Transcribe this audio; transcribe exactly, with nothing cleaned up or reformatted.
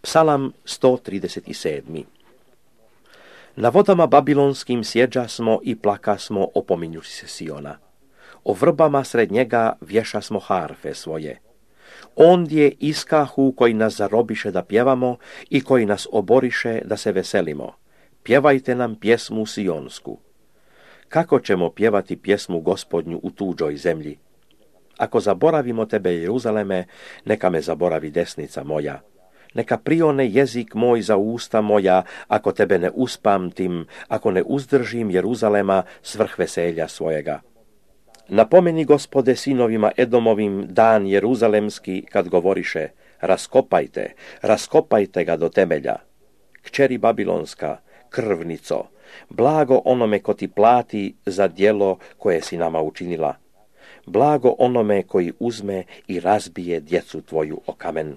Psalam sto trideset sedam. Na vodama babilonskim sjeđa smo i plaka smo opominjući se Siona. O vrbama sred njega vješa smo harfe svoje. Ondje iskahu koji nas zarobiše da pjevamo i koji nas oboriše da se veselimo. Pjevajte nam pjesmu sionsku. Kako ćemo pjevati pjesmu Gospodnju u tuđoj zemlji? Ako zaboravimo tebe, Jeruzaleme, neka me zaboravi desnica moja. Neka prione jezik moj za usta moja, ako tebe ne uspamtim, ako ne uzdržim Jeruzalema svrh veselja svojega. Napomeni, Gospode, sinovima Edomovim dan jeruzalemski, kad govoriše: raskopajte, raskopajte ga do temelja. Kćeri babilonska, krvnico, blago onome ko ti plati za djelo koje si nama učinila. Blago onome koji uzme i razbije djecu tvoju o kamen.